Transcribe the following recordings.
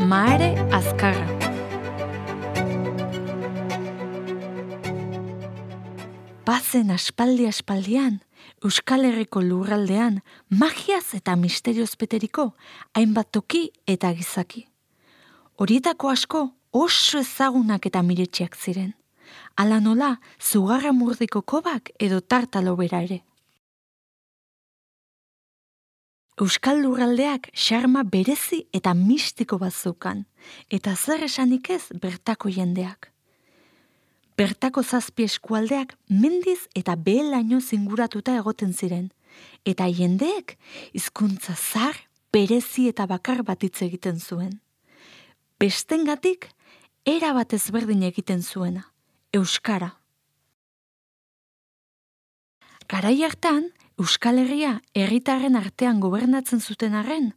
Mahare Azkarra. Bazen aspaldian, Euskal Herriko lurraldean, magiaz eta misterioz beteriko, hainbat toki eta gizaki. Horietako asko oso ezagunak eta miretxiak ziren. Hala nola, Zugarramurdiko kobak edo tartalo bera ere. Euskal lurraldeak xarma berezi eta mistiko bat zeukan, eta zer esanik ez bertako jendeak. Bertako 7 eskualdeak mendiz eta behelaino zinguratuta egoten ziren, eta jendeek hizkuntza zahar, berezi eta bakar bat hitz egiten zuen. Bestengatik, erabat ezberdin egiten zuena, euskara. Garai hartan, Euskal Herria herritarren artean gobernatzen zuten arren,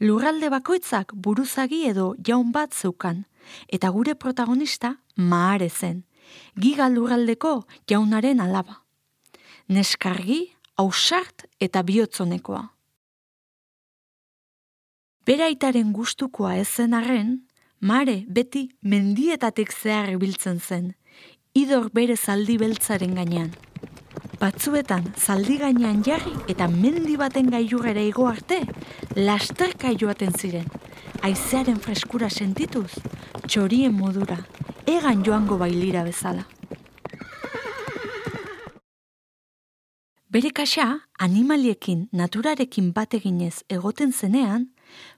lurralde bakoitzak buruzagi edo jaun bat zeukan, eta gure protagonista Mahare zen, giga lurraldeko jaunaren alaba. Neskargi, ausart eta bihotzonekoa. Bere aitaren gustukoa ez zen arren, Mahare beti mendietatik zehar ibiltzen zen, idor bere zaldi beltzaren gainean. Batzuetan zaldi gainean jarri eta mendi baten gailurrera igo arte, lasterka joaten ziren, haizearen freskura sentituz, txorien modura, egan joango bailira bezala. Bere kaxa, animaliekin, naturarekin bat eginez egoten zenean,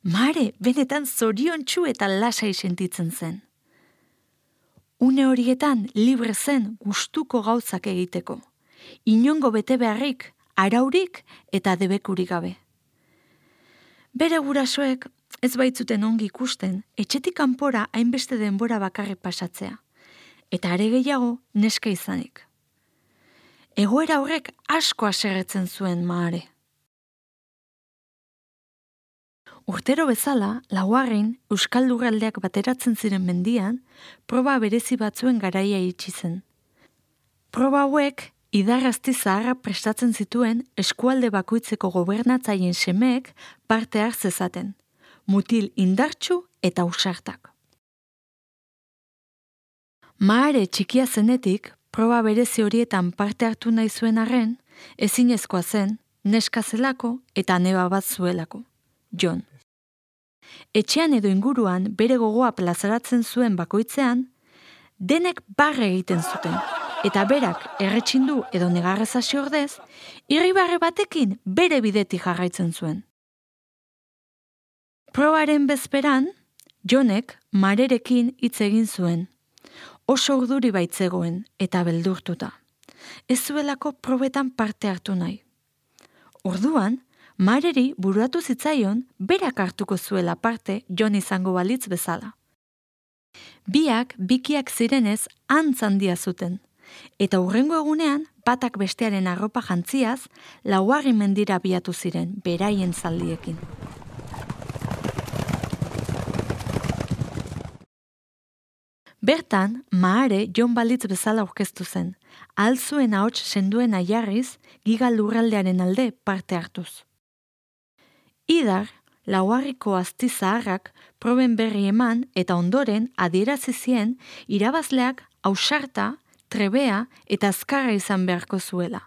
Mahare benetan zoriontsu eta lasai sentitzen zen. Une horietan libre zen gustuko gauzak egiteko. Inongo bete beharrik, araurik eta debekurik gabe. Bere gurasoek ez baitzuten ongi ikusten, etxetik kanpora hainbeste denbora bakarrik pasatzea, eta are gehiago neska izanik. Egoera horrek asko haserretzen zuen Mahare. Urtero bezala, laugarren Euskal lurraldeak bateratzen ziren mendian, proba berezi batzuen garaia iritsi zen. Proba hauek idarrazti zaharra prestatzen zituen eskualde bakoitzeko gobernatzaien semeek parte har zezaten, mutil indartsu eta ausartak. Mahare txikia zenetik, proba berezi horietan parte hartu nahi zuen arren, ezinezkoa zen, neska zelako eta neba bat zuelako, Jon. Etxean edo inguruan bere gogoa plazaratzen zuen bakoitzean, denek barre egiten zuten, eta berak erretxindu edo negarrez hasi ordez, irribarre batekin bere bidetik jarraitzen zuen. Probaren bezperan, Jonek Maharerekin hitz egin zuen. Oso urduri baitzegoen eta beldurtuta. Ez zuelako probetan parte hartu nahi. Orduan, Mahareri bururatu zitzaion berak hartuko zuela parte Jon izango balitz bezala. Biak bikiak zirenez antz handia zuten, eta hurrengo egunean batak bestearen arropa jantziaz laugarren mendira abiatu ziren beraien zaldiekin. Bertan, Mahare Jon balitz bezala aurkeztu zen, ahal zuen ahots senduena jarriz giga lurraldearen alde parte hartuz. Idar, laugarriko azti zaharrak proben berri eman eta ondoren adierazi zien irabazleak ausarta, trebea eta azkarra izan beharko zuela.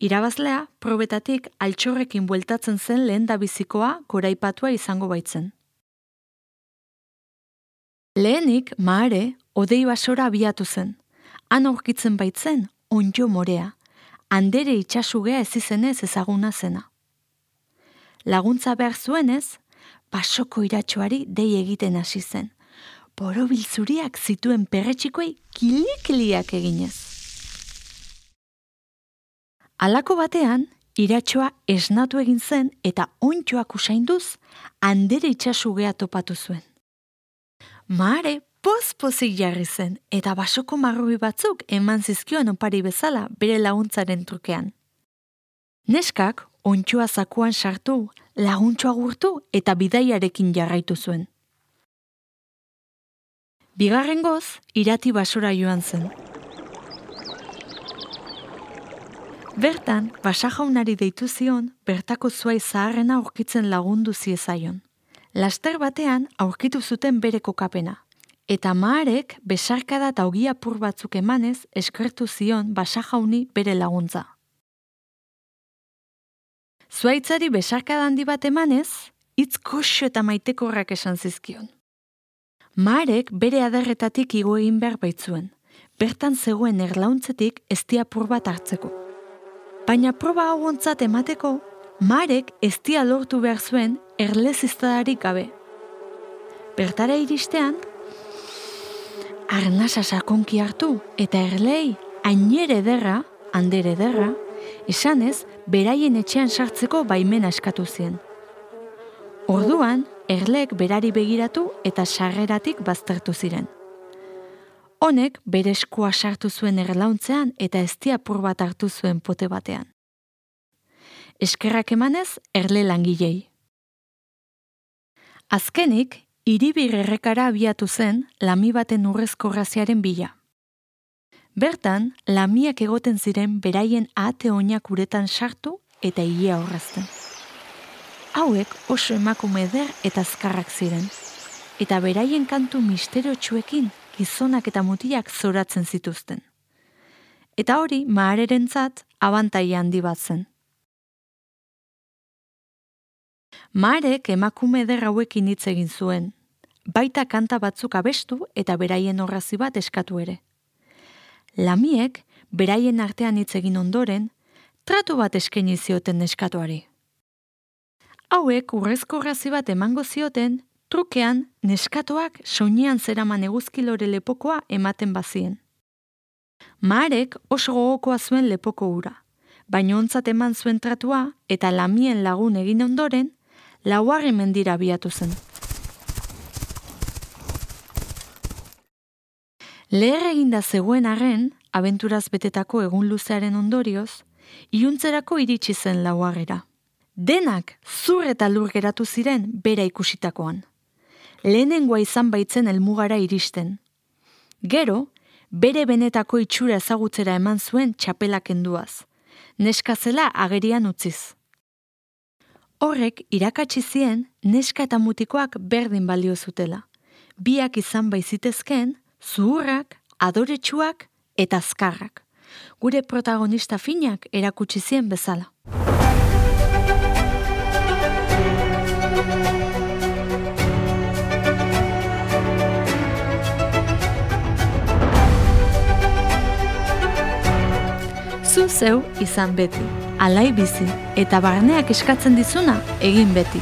Irabazlea probetatik altxorrekin bueltatzen zen lehendabizikoa goraipatua izango baitzen. Lehenik, Mahare, hodei basora abiatu zen. Han aurkitzen baitzen, onddo morea, handere itsasugea ez izenez ezaguna zena. Laguntza behar zuenez, basoko iratxoari dei egiten hasi zen, borobil zuriak zituen perretxikoei kilikiliak eginez. Halako batean, iratxoa esnatu egin zen eta onddoak usainduz, handere itsasugea topatu zuen. Mahare poz-pozik jarri zen eta basoko marrubi batzuk eman zizkion opari bezala bere laguntzaren trukean. Neskak onddoa zakuan sartu, laguntxoa gurtu eta bidaiarekin jarraitu zuen. Bigarrengoz, irati basora joan zen. Bertan, basajaunari deitu zion, bertako zuai zaharrena aurkitzen lagundu ziezaion. Laster batean aurkitu zuten bere kokapena, eta Maarek besarkada eta ogi apur batzuk emanez eskertu zion Basajauni bere laguntza. Zuhaitzari besarkada handi bat emanez, hitz goxo eta maitekorrak esan zizkion. Maarek bere adarretatik igo egin behar baitzuen, bertan zegoen erlauntzetik ezti apur bat hartzeko. Baina proba hau ontzat emateko, Maarek eztia lortu behar zuen erleziztadarik gabe. Bertara iristean, arnasa sakonki hartu eta erlei ainere ederra, handere ederra, esanez beraien etxean sartzeko baimena eskatu zien. Orduan, erleek berari begiratu eta sarreratik baztertu ziren. Honek bere eskua sartu zuen erlauntzean eta eztia apur bat hartu zuen pote batean. Eskerrak emanez erle langilei. Azkenik, Hiribir errekara abiatu zen lami baten urrezko raziaren bila. Bertan, lamiak egoten ziren beraien ahate oinak uretan sartu eta ilea horrazten. Hauek oso emakume eder eta azkarrak ziren, eta beraien kantu misteriotsuekin gizonak eta mutilak zoratzen zituzten. Eta hori Maarerentzat abantaila handi bat zen. Maarek emakume eder hauekin hitz egin zuen, baita kanta batzuk abestu eta beraien orrazi bat eskatu ere. Lamiek, beraien artean hitz egin ondoren, tratu bat eskaini zioten neskatoari. Hauek urrezko orrazi bat emango zioten, trukean neskatoak soinean zeraman eguzkilore lepokoa ematen bazien. Maarek oso gogokoa zuen lepoko hura, baina ontzat eman zuen tratua eta lamien lagun egin ondoren, laugarren mendira abiatu zen. Leher eginda zegoen arren, abenturaz betetako egun luzearen ondorioz, iluntzerako iritsi zen laugarrera. Denak zur eta lur geratu ziren bera ikusitakoan. Lehenengoa izan baitzen helmugara iristen. Gero, bere benetako itxura ezagutzera eman zuen txapela kenduaz, neska zela agerian utziz. Horrek irakatsi zien neska eta mutikoak berdin balio zutela. Biak izan baizitezken, zuhurrak, adoretsuak eta azkarrak. Gure protagonista finak erakutsi zien bezala. Zu zeu izan beti, alai bizi, eta barneak eskatzen dizuna egin beti.